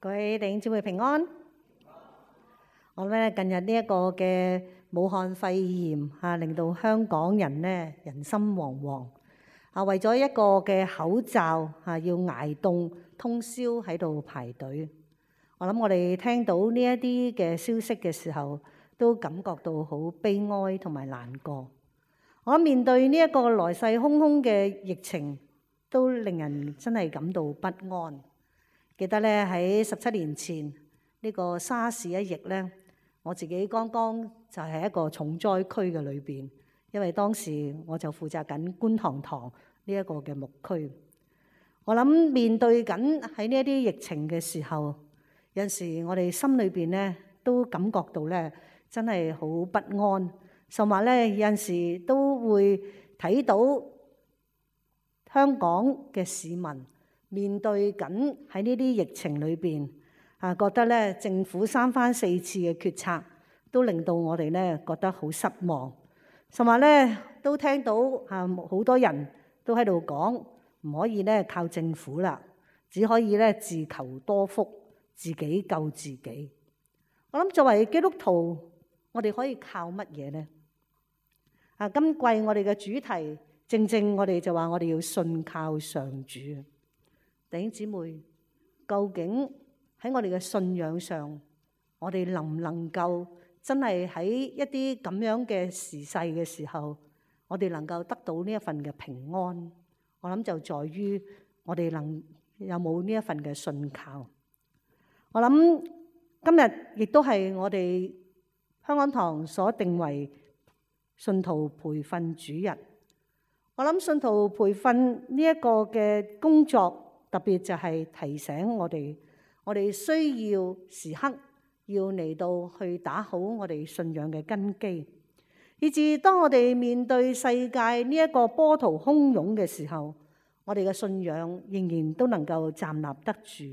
各位弟兄姊妹平安。我咧近日呢一個嘅武漢肺炎令到香港人咧人心惶惶為咗一個嘅口罩要捱凍通宵喺度排隊。我諗我哋聽到呢一啲嘅消息嘅時候，都感覺到好悲哀同埋難過。我諗面對呢一個來勢洶洶嘅疫情，都令人真係感到不安。記得咧喺17年前呢個沙士一役咧，我自己剛剛就係一個重災區嘅裏邊，因為當時我就負責緊觀塘堂呢一個嘅牧區。我諗面對緊喺呢一啲疫情嘅時候，有陣時我哋心裏邊咧都感覺到咧真係好不安，甚至咧有陣時都會睇到香港嘅市民面對緊喺呢啲疫情裏邊覺得咧政府3番4次嘅決策都令到我哋咧覺得好失望，甚至咧都聽到好多人都喺度講唔可以咧靠政府啦，只可以咧自求多福，自己救自己。我諗作為基督徒，我哋可以靠乜嘢呢？今季我哋嘅主題正我哋就話我哋要信靠上主。弟兄姊妹，究竟喺我哋嘅信仰上，我哋能唔能夠真係喺一啲咁樣嘅時勢嘅時候，我哋能夠得到呢一份嘅平安？我諗就在於我哋有冇呢一份嘅信靠。我諗今日亦都係我哋香港堂所定為信徒培訓主日。我諗信徒培訓呢一個嘅工作，特別就係提醒我哋需要時刻要嚟到去打好我哋信仰嘅根基，以至當我哋面對世界呢一個波濤洶湧嘅時候，我哋嘅信仰仍然都能夠站立得住。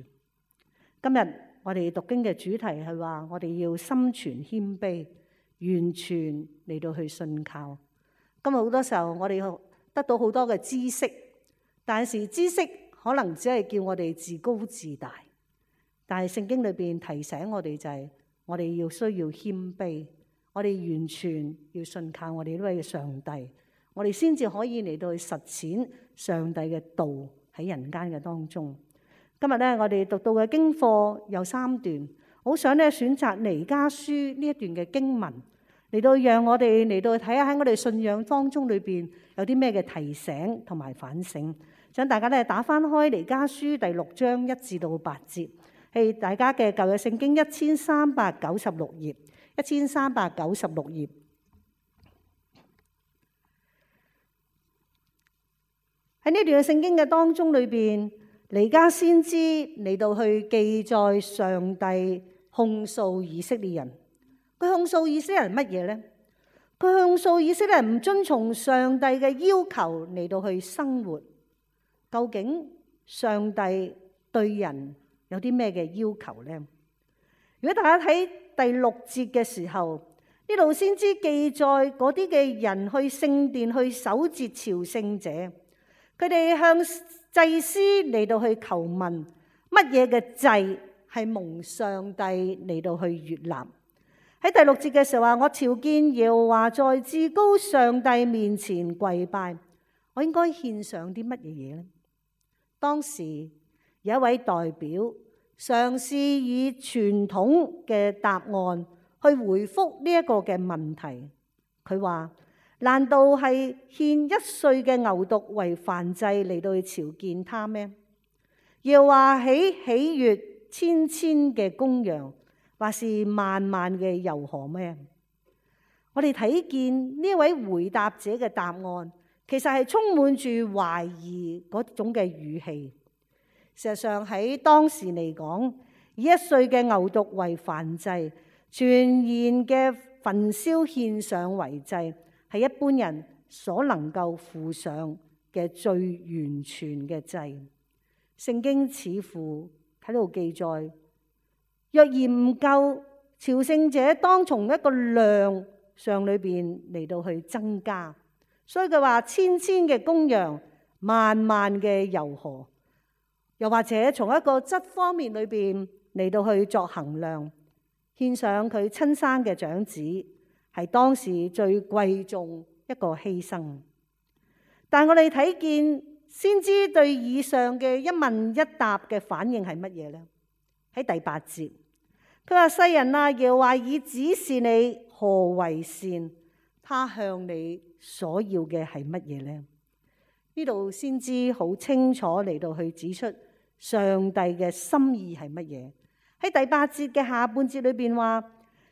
今日我哋讀經嘅主題係話，我哋要心存謙卑，完全嚟到去信靠。今日好多時候我哋得到好多嘅知識，但是知識可能只係叫我哋自高自大，但係聖經裏邊提醒我哋就係我哋要需要謙卑，我哋完全要信靠我哋呢位上帝，我哋先至可以嚟到去實踐上帝嘅道喺人間嘅當中。今日咧我哋讀到嘅經課有3段，好想咧選擇彌迦書呢一段嘅經文嚟到讓我哋嚟到睇下喺我哋信仰當中裏邊有啲咩嘅提醒同埋反省。想大家咧打翻開彌迦書第6章1至到8節，係大家嘅舊約聖經1396頁，1396頁。喺呢段嘅聖經嘅當中裏邊，彌迦先知嚟到去記載上帝控訴以色列人。佢控訴以色列人乜嘢呢？佢控訴以色列人唔遵從上帝嘅要求嚟到去生活。究竟上帝對人有啲咩嘅要求呢？如果大家睇第6節嘅時候，呢度先知記載嗰啲嘅人去聖殿去守節朝聖者，佢哋向祭司嚟到去求問乜嘢嘅祭係蒙上帝嚟到去悅納。喺第6節嘅時候話，我朝見耶和華在至高上帝面前跪拜，我應該獻上啲乜嘢嘢呢？當時有一位代表嘗試以傳統嘅答案去回覆呢一個嘅問題。佢話：難道係獻1歲嘅牛犢為燔祭嚟到去朝見他咩？又話喜悅千嘅公羊，或是萬嘅油河咩？我哋睇見呢位回答者嘅答案，其實係充滿住懷疑嗰種嘅語氣。事實上喺當時嚟講，以1歲嘅牛犢為燔祭，全然嘅焚燒獻上為祭，係一般人所能夠付上嘅最完全嘅祭。聖經似乎喺度記載，若然唔夠，朝聖者當從一個量上裏邊嚟到去增加。所以佢話千嘅公羊，萬嘅油河，又或者從一個質方面裏邊嚟到去作衡量，獻上佢親生嘅長子，係當時最貴重一個犧牲。但我哋睇見先知對以上嘅一問一答嘅反應係乜嘢呢？喺第8節，佢話：世人啊，耶和華已指示你何為善，他向你所要嘅係乜嘢呢？呢度先知好清楚嚟到去指出上帝嘅心意係乜嘢。喺第8節嘅下半節裏邊話：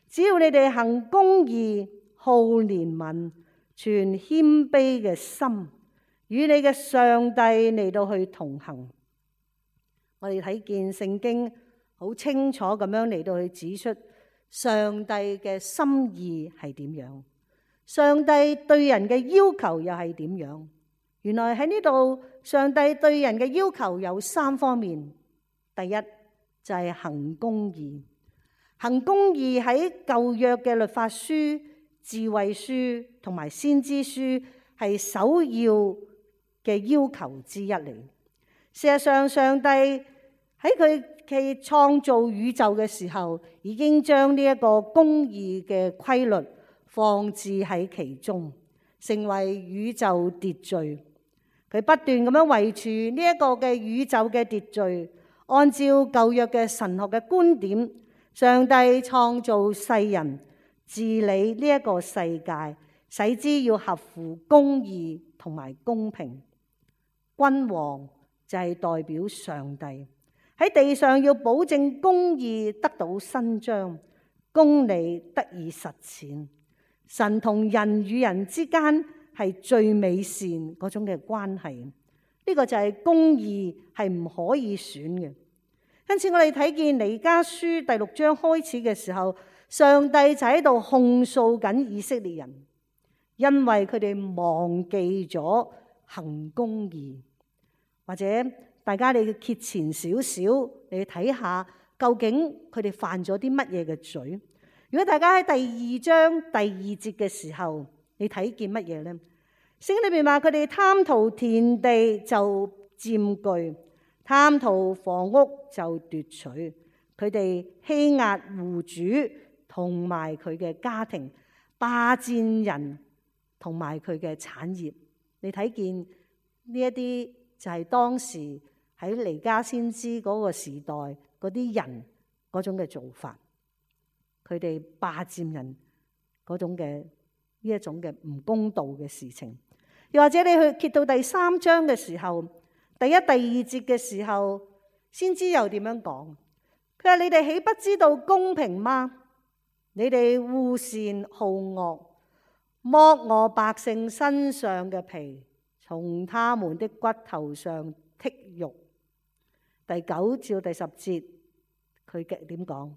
只要你哋行公義、好憐憫、存謙卑嘅心，與你嘅上帝嚟到去同行。我哋睇見聖經好清楚咁樣嚟到去指出上帝嘅心意係點樣，上帝對人嘅要求又係點樣。原來喺呢度，上帝對人嘅要求有3方面。第一就係行公義。行公義喺舊約嘅律法書、智慧書同埋先知書係首要嘅要求之一嚟。事實上，上帝喺佢創造宇宙嘅時候，已經將呢一個公義嘅規律放置喺其中，成為宇宙秩序。佢不斷咁樣維持呢一個嘅宇宙嘅秩序，按照舊約嘅神學嘅觀點，上帝創造世人，治理呢一個世界，使之要合乎公義同埋公平。君王就係代表上帝喺地上要保證公義得到伸張，公理得以實踐。神同人與人之間係最美善嗰種嘅關係，呢個就係公義係唔可以損嘅。因此我哋睇見彌迦書第6章開始嘅時候，上帝就喺度控訴緊以色列人，因為佢哋忘記咗行公義。或者大家你揭前少少，你睇下究竟佢哋犯咗啲乜嘢嘅罪。如果大家喺第2章第2節嘅時候，你睇見乜嘢呢？聖經裏面話佢哋貪圖田地就佔據，貪圖房屋就奪取，佢哋欺壓戶主同埋佢嘅家庭，霸佔人同埋佢嘅產業。你睇見呢一啲就係當時喺彌迦先知嗰個時代嗰啲人嗰種嘅做法，佢哋霸佔人嗰種嘅呢一種嘅唔公道嘅事情。又或者你去揭到第3章嘅時候，第1、第2節嘅時候，先知又點樣講？佢話：你哋豈不知道公平嗎？你哋惡善好惡，剝我百姓身上嘅皮，從他們的骨頭上剔肉。第9至第10節，佢點講？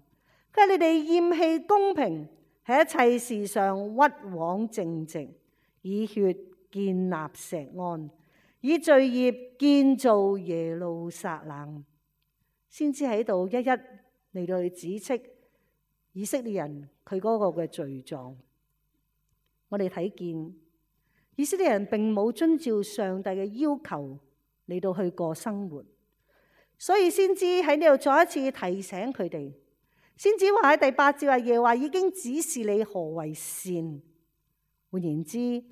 佢話：你哋厭棄公平，喺一切事上屈枉正直，以血建立錫安，以罪孽建造耶路撒冷。先知喺度一一嚟到去指斥以色列人佢嗰個嘅罪狀。我哋睇見以色列人並冇遵照上帝嘅要求嚟到去過生活，所以先知喺呢度再一次提醒佢哋。先知話喺第8節話：耶和華已經指示你何為善。換言之，乜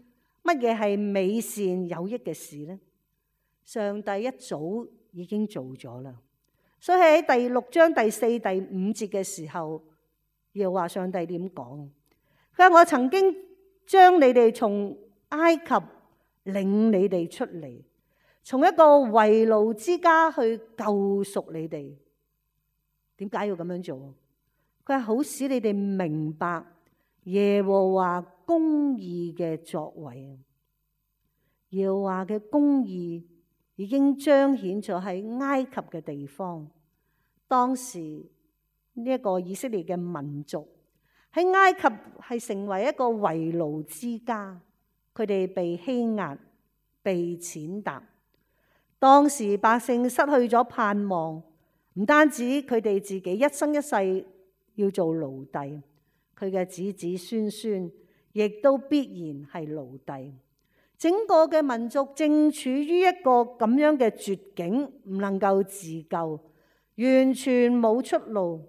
嘢係美善有益嘅事呢？上帝一早已經做咗啦。所以喺第6章第4、第5節嘅時候，耶和華上帝點講？佢話：我曾經將你哋從埃及領你哋出嚟，從一個為奴之家去救贖你哋。點解要咁樣做？佢係好使你哋明白耶和華公義嘅作為。耶和華嘅公義已經彰顯咗喺埃及嘅地方。當時呢一個以色列嘅民族喺埃及係成為一個為奴之家，佢哋被欺壓、被踐踏。當時百姓失去咗盼望，唔單止佢哋自己一生一世要做奴隸，佢嘅子子孫孫亦都必然係奴隸。整個嘅民族正處於一個咁樣嘅絕境，唔能夠自救，完全冇出路。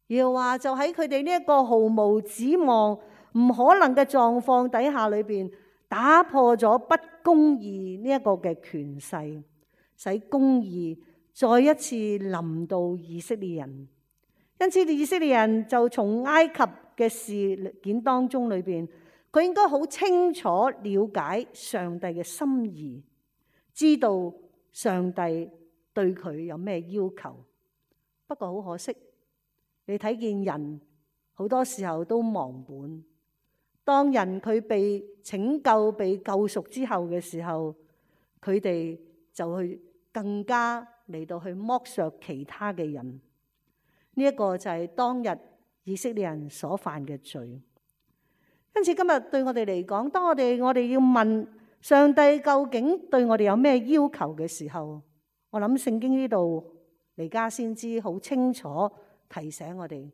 耶和華就喺佢哋呢一個毫無指望、唔可能嘅狀況底下裏邊，打破咗不公義呢一個嘅權勢，使公義再一次臨到以色列人。因此，以色列人就從埃及嘅事件當中裏邊，佢應該好清楚了解上帝嘅心意，知道上帝對佢有咩要求。不過好可惜，你睇見人好多時候都忘本。當人佢被拯救、被救贖之後嘅時候，佢哋就去更加嚟到去剝削其他嘅人。呢一個就係當日以色列人所犯嘅罪。因此今日對我哋嚟講，當我哋要問上帝究竟對我哋有咩要求嘅時候，我諗聖經呢度彌迦先知好清楚提醒我哋，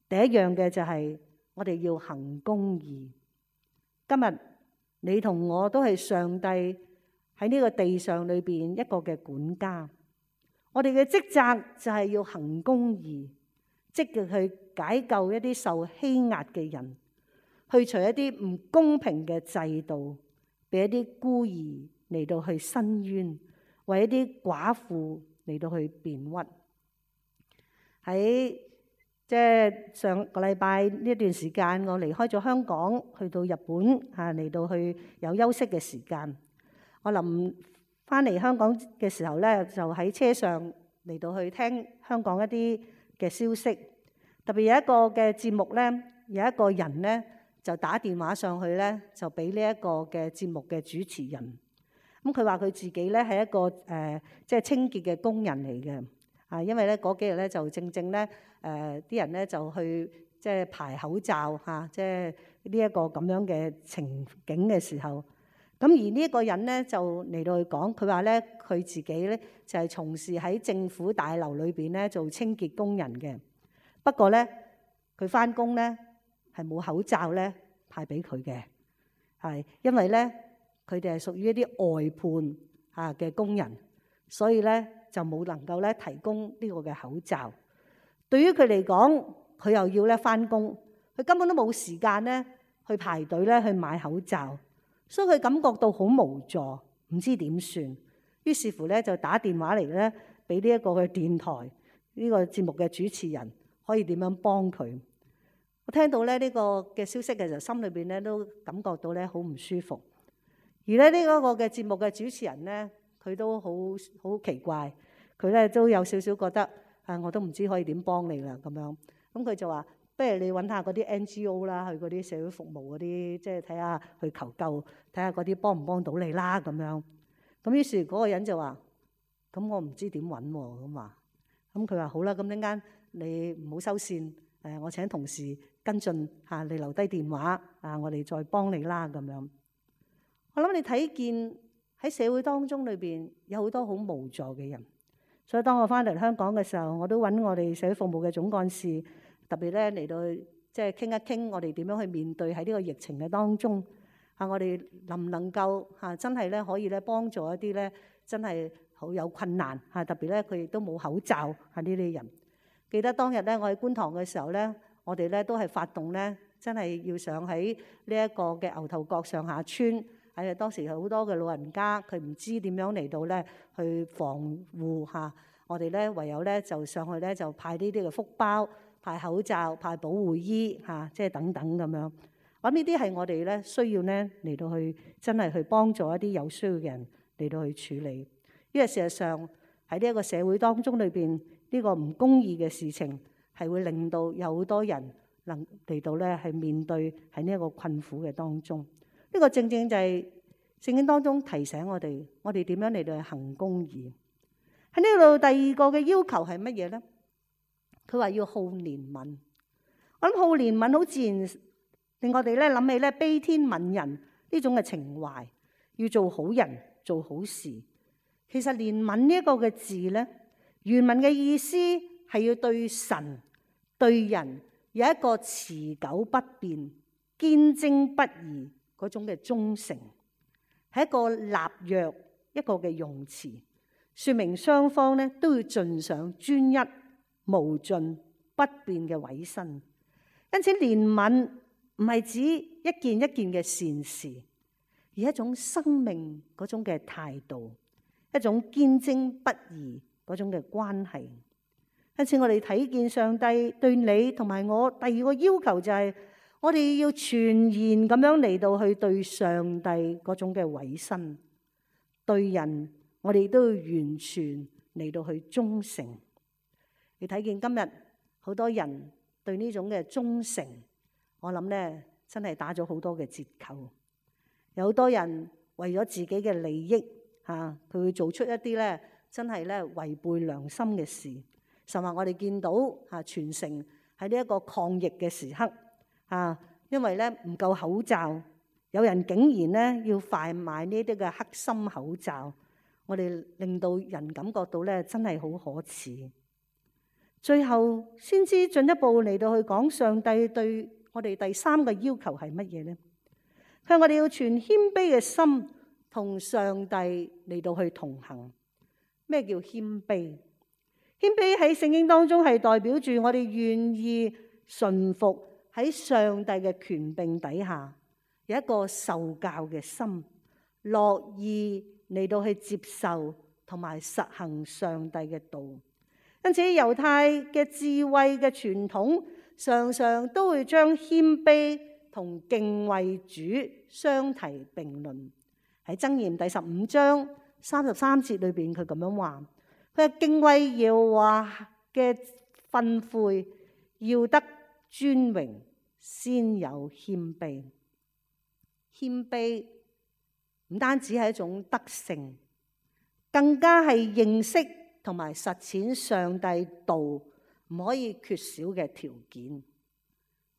第一樣嘅就係我哋要行公義。今日你同我都係上帝喺呢個地上裏邊一個嘅管家，我哋嘅職責就係要行公義，積極去解救一啲受欺壓嘅人，去除一啲唔公平嘅制度，俾一啲孤兒嚟到去申冤，為一啲寡婦嚟到去辯屈。喺即係上個禮拜呢一段時間，我離開咗香港，去到日本嚟到去有休息嘅時間。我臨翻嚟香港嘅時候咧，就喺車上嚟到去聽香港一啲嘅消息。特別有一個嘅節目咧，有一個人咧就打電話上去咧，就俾呢一個嘅節目嘅主持人。咁佢話佢自己咧係一個即係清潔嘅工人嚟嘅。因為咧嗰幾日咧就正咧啲人咧就去即係排口罩即係呢一個咁樣嘅情景嘅時候，咁而呢一個人咧就嚟到去講，佢話咧佢自己咧就係從事喺政府大樓裏邊咧做清潔工人嘅。不過咧佢翻工咧係冇口罩咧派俾佢嘅，係因為咧佢哋係屬於一啲外判嘅工人，所以咧就冇能夠咧提供呢個嘅口罩。對於佢嚟講，佢又要咧翻工，佢根本都冇時間咧去排隊咧去買口罩，所以佢感覺到好無助，唔知點算。於是乎咧就打電話嚟咧俾呢一個嘅電台呢個節目嘅主持人，可以點樣幫佢。我聽到咧呢個嘅消息嘅時候，心裏邊咧都感覺到咧好唔舒服。而咧呢一個嘅節目嘅主持人咧，佢都好奇怪，佢咧都有少少覺得我都唔知可以點幫你啦咁樣。咁佢就話：不如你揾下嗰啲 NGO 啦，去嗰啲社會服務嗰啲，即係睇下去求救，睇下嗰啲幫唔幫到你啦咁樣。咁於是嗰個人就話：咁我唔知點揾喎咁話。咁佢話好啦，咁陣間你唔好收線，我請同事跟進嚇，你留低電話我哋再幫你啦咁樣。我諗你睇見喺社會當中裏邊有好多好無助嘅人，所以當我翻嚟香港嘅時候，我都揾我哋社會服務嘅總幹事，特別咧嚟到即係傾一傾我哋點樣去面對喺呢個疫情嘅當中我哋能唔能夠真係咧可以咧幫助一啲咧真係好有困難特別咧佢亦都冇口罩呢啲人。記得當日咧我喺觀塘嘅時候咧，我哋咧都係發動咧，真係要上喺呢一個嘅牛頭角上下村。係當時好多嘅老人家，佢唔知點樣嚟到咧去防護我哋咧唯有咧就上去咧就派呢啲嘅福包、派口罩、派保護衣即係等等咁樣。咁呢啲係我哋咧需要咧嚟到去真係去幫助一啲有需要嘅人嚟到去處理。因為事實上喺呢一個社會當中裏邊，呢個唔公義嘅事情係會令到有好多人能嚟到咧係面對喺呢一個困苦嘅當中。呢個正正就係聖經當中提醒我哋點樣嚟到行公義。喺呢度第二個嘅要求係乜嘢咧？佢話要好憐憫。我諗好憐憫好自然令我哋咧諗起咧悲天憫人呢種嘅情懷，要做好人做好事。其實憐憫呢一個嘅字咧，原文嘅意思係要對神對人有一個持久不變、堅貞不移嗰種嘅忠誠，係一個立約一個嘅用詞。說明雙方咧都要盡上專一、無盡、不變嘅委身。因此憐憫唔係指一件一件嘅善事，而係一種生命嗰種嘅態度，一種堅貞不移嗰種嘅關係。因此我哋睇見上帝對你同埋我第二個要求就係，我哋要全然咁樣嚟到去對上帝嗰種嘅委身，對人我哋都要完全嚟到去忠誠。你睇見今日好多人對呢種嘅忠誠，我諗咧真係打咗好多嘅折扣。有好多人為咗自己嘅利益佢會做出一啲咧真係咧違背良心嘅事。甚至我哋見到全城喺呢一個抗疫嘅時刻因為咧唔夠口罩，有人竟然咧要販賣呢啲嘅黑心口罩，我哋令到人感覺到咧真係好可恥。最後先知進一步嚟到去講上帝對我哋第三個要求係乜嘢呢？佢話我哋要存謙卑嘅心同上帝嚟到去同行。咩叫謙卑？謙卑喺聖經當中係代表住我哋願意順服喺上帝嘅權柄底下，有一個受教嘅心，樂意嚟到去接受同埋實行上帝嘅道。因此猶太嘅智慧嘅傳統常常都會將謙卑同敬畏主相提並論。喺箴言第15章33節裏邊，佢咁樣話，佢係敬畏耶和華嘅訓誨，要得尊榮，先有謙卑。謙卑唔單止係一種德性，更加係認識同埋實踐上帝道唔可以缺少嘅條件。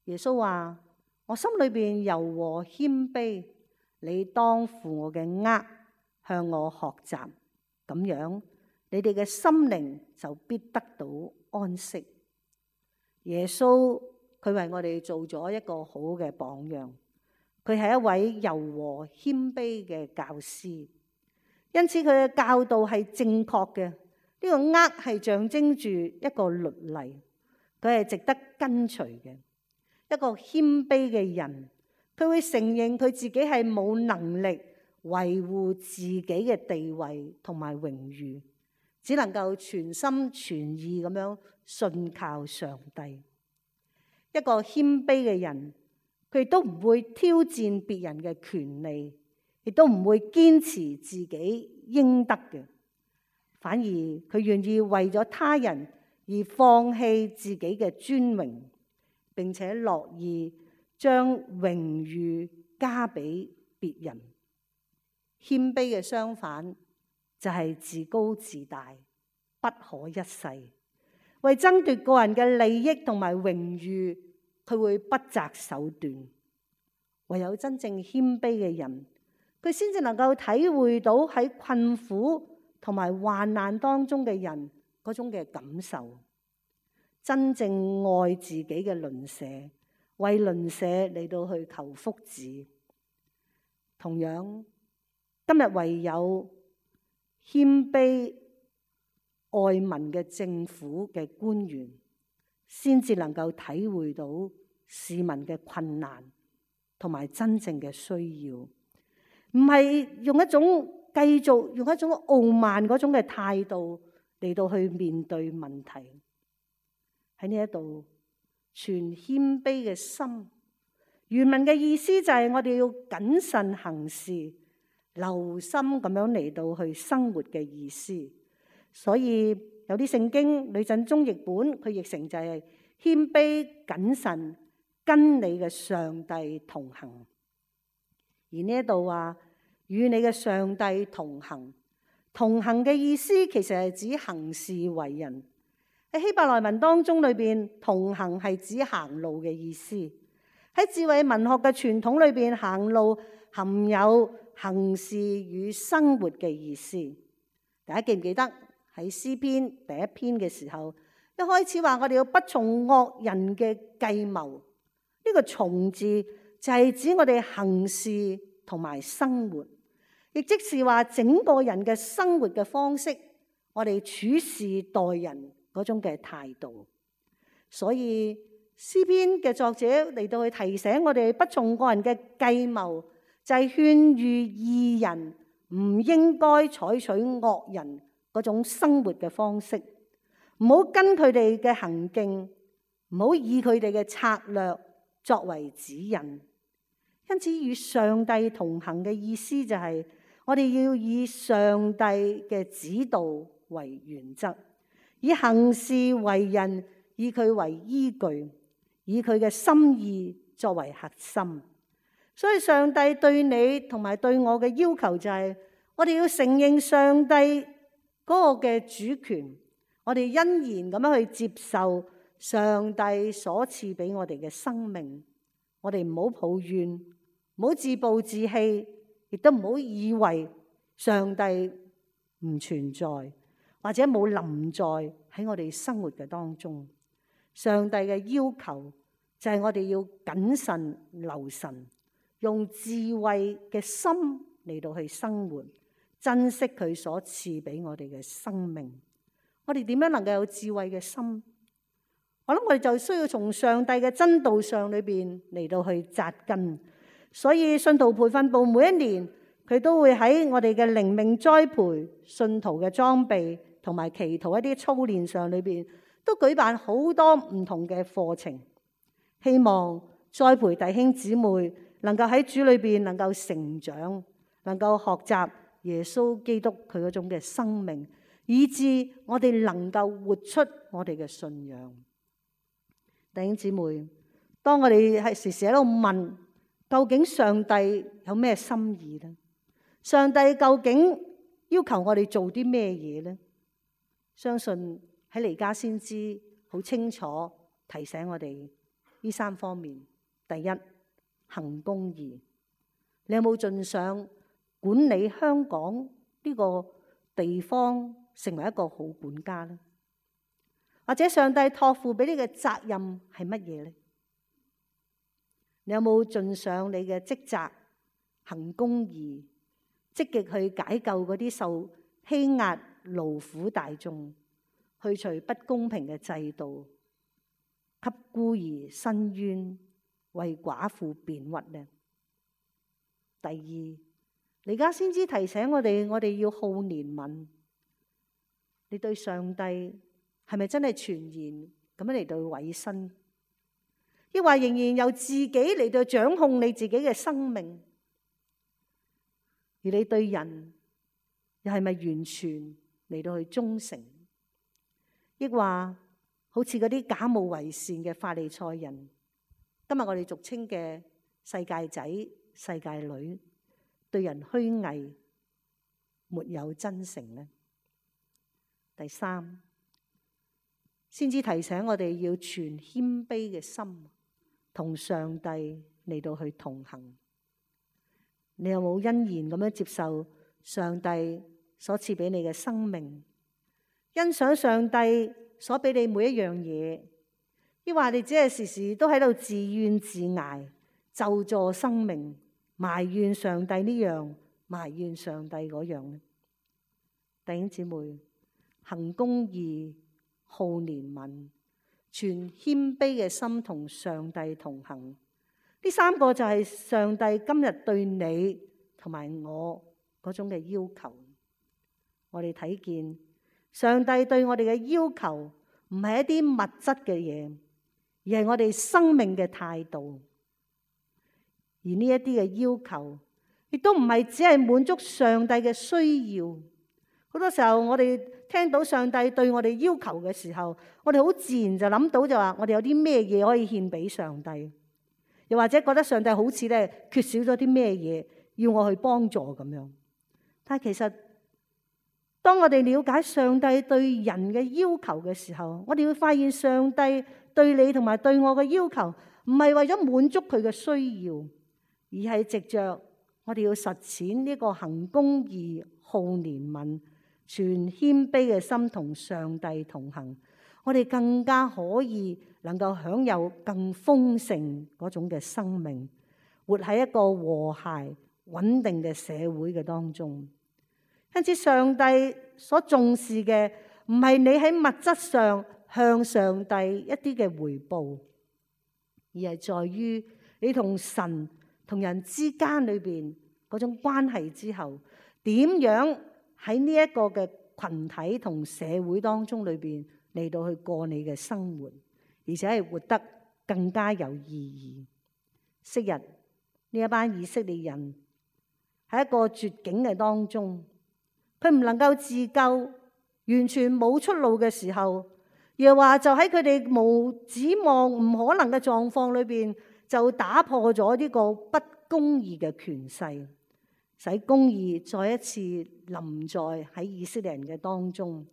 耶穌話：我心裏邊柔和謙卑，你當負我嘅軛，向我學習，咁樣你哋嘅心靈就必得到安息。耶穌佢為我哋做咗一個好嘅榜樣，佢係一位柔和謙卑嘅教師，因此佢嘅教導係正確嘅。呢個軛係象徵住一個律例，佢係值得跟隨嘅。一個謙卑嘅人，佢會承認佢自己係冇能力維護自己嘅地位同埋榮譽，只能夠全心全意咁樣信靠上帝。一個謙卑嘅人，佢都唔會挑戰別人嘅權利，亦都唔會堅持自己應得嘅，反而佢願意為咗他人而放棄自己嘅尊榮，並且樂意將榮譽加俾別人。謙卑嘅相反就係自高自大，不可一世，為爭奪個人嘅利益同埋榮譽，佢會不擇手段。唯有真正謙卑嘅人，佢先至能夠體會到喺困苦同埋患難當中嘅人嗰種嘅感受，真正愛自己嘅鄰舍，為鄰舍嚟到去求福祉。同樣，今日唯有謙卑愛民嘅政府嘅官員，先至能夠體會到市民嘅困難同埋真正嘅需要，唔係用一種繼續用一種傲慢嗰種嘅態度嚟到去面對問題。喺呢一度，存謙卑嘅心，原文嘅意思就係我哋要謹慎行事，留心咁樣嚟到去生活嘅意思。所以有啲聖經呂振中譯本，佢譯成就係謙卑謹慎，跟你嘅上帝同行。而呢一度話與你嘅上帝同行，同行嘅意思其實係指行事為人。喺希伯來文當中裏邊，同行係指行路嘅意思。喺智慧文學嘅傳統裏邊，行路含有行事與生活嘅意思。大家記唔記得喺詩篇第一篇嘅時候，一開始話我哋要不從惡人嘅計謀。呢個從字就係指我哋行事同埋生活，亦即是話整個人嘅生活嘅方式我哋處事待人嗰種嘅態度。所以詩篇嘅作者嚟到去提醒我哋，不從個人嘅計謀，就係勸喻義人唔應該採取惡人嗰種生活嘅方式，唔好跟佢哋嘅行徑，唔好以佢哋嘅策略作為指引。因此，與上帝同行嘅意思就係我哋要以上帝嘅指導為原則，以行事為人，以佢為依據，以佢嘅心意作為核心。所以上帝對你同埋對我嘅要求就係，我哋要承認上帝嗰個嘅主權，我哋欣然咁樣去接受上帝所賜俾我哋嘅生命。我哋唔好抱怨，唔好自暴自棄，亦都唔好以為上帝唔存在，或者冇臨在喺我哋生活嘅當中。上帝嘅要求就係我哋要謹慎留神，用智慧嘅心嚟到去生活，珍惜佢所賜俾我哋嘅生命。我哋點樣能夠有智慧嘅心？我諗我哋就需要從上帝嘅真道上裏邊嚟到去扎根。所以信徒培訓部每一年佢都會喺我哋嘅靈命栽培、信徒嘅裝備同埋祈禱一啲操練上裏邊，都舉辦好多唔同嘅課程，希望栽培弟兄姊妹能夠喺主裏邊能夠成長，能夠學習耶穌基督佢嗰種嘅生命，以致我哋能夠活出我哋嘅信仰。弟兄姊妹，當我哋係時時喺度問，究竟上帝有咩心意呢？上帝究竟要求我哋做啲咩嘢呢？相信喺彌迦先知好清楚提醒我哋呢三方面。第一，行公義。你有冇盡上管理香港呢個地方，成為一個好管家呢？或者上帝託付俾你嘅責任係乜嘢呢？你有冇盡上你嘅職責，行公義，積極去解救嗰啲受欺壓勞苦大眾，去除不公平嘅制度，給孤兒伸冤，為寡婦辯屈呢？第二，彌迦先知提醒我哋要好憐憫。你對上帝係咪真係全然咁樣嚟到委身？抑或仍然由自己嚟到掌控你自己嘅生命？而你對人又係咪完全嚟到去忠誠？抑或好似嗰啲假冒為善嘅法利賽人，今日我哋俗稱嘅世界仔、世界女，對人虛偽，沒有真誠呢？第三，先至提醒我哋要存謙卑嘅心，同上帝嚟到去同行。你有冇欣然咁樣接受上帝所賜俾你嘅生命，欣賞上帝所俾你每一樣嘢？抑或你只係時時都喺度自怨自艾，咒詛生命，埋怨上帝呢樣，埋怨上帝嗰樣呢？弟兄姊妹，行公義，好憐憫，存謙卑嘅心，同上帝同行。呢三個就係上帝今日對你同埋我嗰種嘅要求。我哋睇見上帝對我哋嘅要求唔係一啲物質嘅嘢，而係我哋生命嘅態度。而呢一啲嘅要求亦都唔係只係滿足上帝嘅需要。好多時候我哋聽到上帝對我哋要求嘅時候，我哋好自然就諗到就話我哋有啲咩嘢可以獻俾上帝，又或者覺得上帝好似咧缺少咗啲咩嘢要我去幫助咁樣。但係其實當我哋了解上帝對人嘅要求嘅時候，我哋會發現上帝對你同埋對我嘅要求唔係為咗滿足佢嘅需要，而係藉着我哋要實踐呢個行公義、好憐憫、存謙卑嘅心，同上帝同行，我哋更加可以能夠享有更豐盛嗰種嘅生命，活喺一個和諧穩定嘅社會嘅當中。因此上帝所重視嘅唔係你喺物質上向上帝一啲嘅回報，而係在於你同神同人之間裏邊嗰種關係之後，點樣喺呢一個嘅群體同社會當中裏邊嚟到去過你嘅生活，而且係活得更加有意義。昔日呢一班以色列人喺一個絕境嘅當中，佢唔能夠自救，完全冇出路嘅時候，又話就喺佢哋無指望、唔可能嘅狀況裏邊，就打破咗呢個不公義嘅權勢，使公義再一次臨在喺以色列人嘅當中。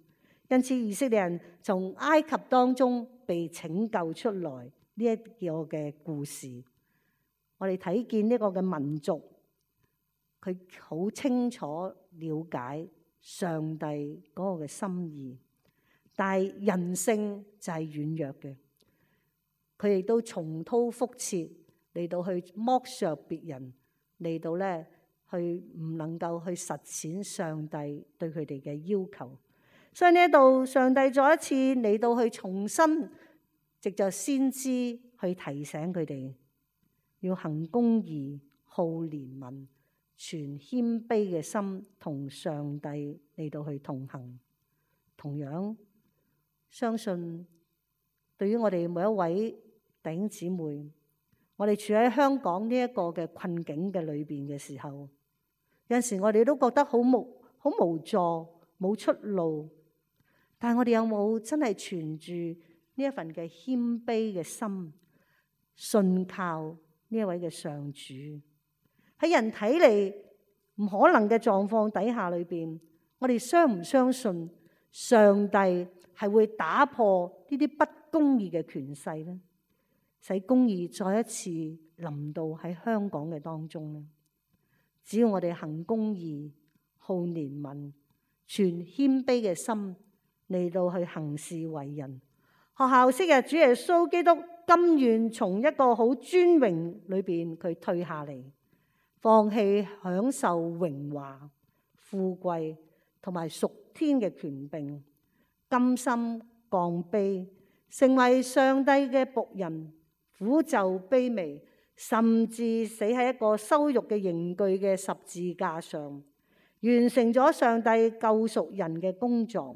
因此以色列人從埃及當中被拯救出來呢一個嘅故事，我哋睇見呢個嘅民族，佢好清楚了解上帝嗰個嘅心意，但係人性就係軟弱嘅，佢亦都重蹈覆轍嚟到去剝削別人，嚟到咧去唔能夠去實踐上帝對佢哋嘅要求。所以呢度上帝再一次嚟到去重新藉着先知去提醒佢哋要行公義、好憐憫、存謙卑嘅心，同上帝嚟到去同行。同樣相信對於我哋每一位弟兄姊妹，我哋處喺香港呢一個嘅困境嘅裏邊嘅時候，有陣時我哋都覺得好無助、冇出路。但係我哋有冇真係存住呢一份嘅謙卑嘅心，信靠呢一位嘅上主？喺人睇嚟唔可能嘅狀況底下裏邊，我哋相唔相信上帝係會打破呢啲不公義嘅權勢呢？使公義再一次臨到喺香港嘅當中呢？只要我哋行公義、好憐憫、存謙卑嘅心嚟到去行事為人，學校昔日主耶穌基督甘願從一個好尊榮裏邊佢退下嚟，放棄享受榮華富貴同埋屬天嘅權柄，甘心降卑，成為上帝嘅僕人，苦就卑微，甚至死喺一個羞辱嘅刑具嘅十字架上，完成咗上帝救贖人嘅工作。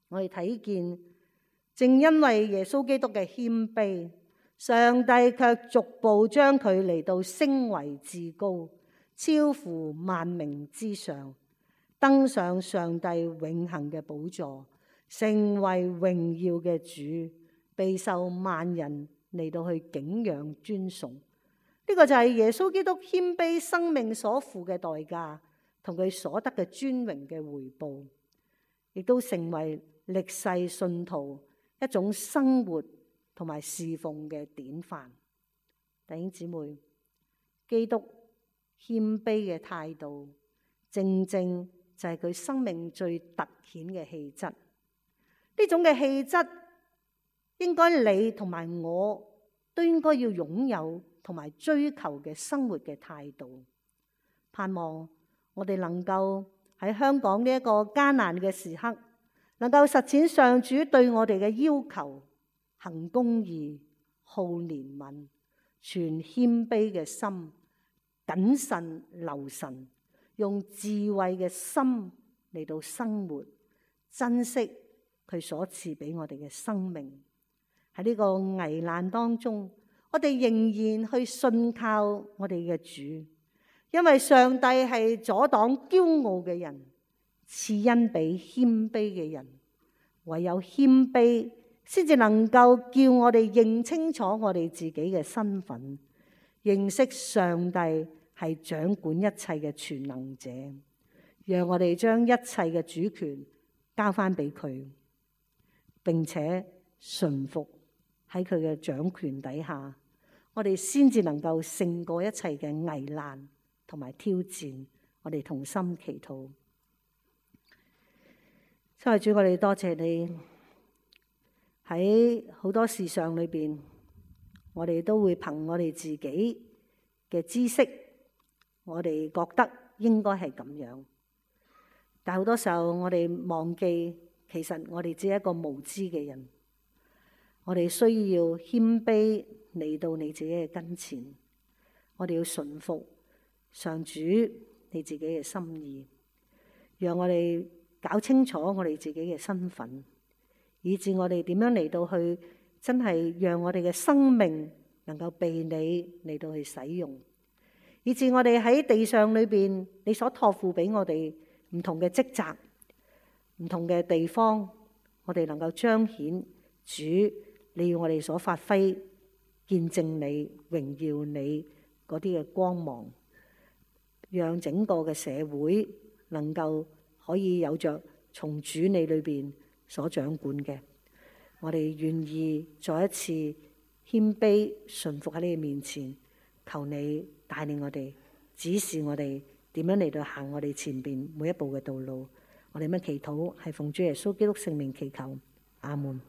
我哋睇見，正因為耶穌基督嘅謙卑，上帝卻逐步將佢嚟到升為至高，超乎萬名之上，登上上帝永恆嘅寶座，成為榮耀嘅主，備受萬人嚟到去敬仰尊崇。呢個就係耶穌基督謙卑生命所付嘅代價，同佢所得嘅尊榮嘅回報，亦都成為歷世信徒一種生活同埋侍奉嘅典範。弟兄姊妹，基督謙卑嘅態度，正正就係佢生命最凸顯嘅氣質。呢種嘅氣質，應該你同埋我都應該要擁有同埋追求嘅生活嘅態度。盼望我哋能夠喺香港呢一個艱難嘅時刻，能夠實踐上主對我哋嘅要求，行公義、好憐憫、存謙卑嘅心，謹慎留神，用智慧嘅心嚟到生活，珍惜佢所賜俾我哋嘅生命。喺呢個危難當中，我哋仍然去信靠我哋嘅主，因為上帝係阻擋驕傲嘅人，賜恩俾謙卑嘅人。唯有謙卑，先至能夠叫我哋認清楚我哋自己嘅身份，認識上帝係掌管一切嘅全能者，讓我哋將一切嘅主權交翻俾佢，並且順服喺佢嘅掌權底下，我哋先至能夠勝過一切嘅危難同埋挑戰。我哋同心祈禱。親愛的主，我哋多謝你喺好多事上裏邊，我哋都會憑我哋自己嘅知識，我哋覺得應該係咁樣。但好多時候我哋忘記，其實我哋只係一個無知嘅人。我哋需要謙卑嚟到你自己嘅跟前，我哋要順服上主你自己嘅心意，讓我哋搞清楚我哋自己嘅身份，以致我哋點樣嚟到去真係讓我哋嘅生命能夠被你嚟到去使用，以致我哋喺地上裏邊你所託付俾我哋唔同嘅職責、唔同嘅地方，我哋能夠彰顯主你要我哋所發揮、見證你、榮耀你嗰啲嘅光芒，讓整個嘅社會能夠可以有着從主你裏邊所掌管嘅。我哋願意再一次謙卑順服喺你嘅面前，求你帶領我哋，指示我哋點樣嚟到行我哋前邊每一步嘅道路。我哋乜祈禱係奉主耶穌基督聖名祈求，阿門。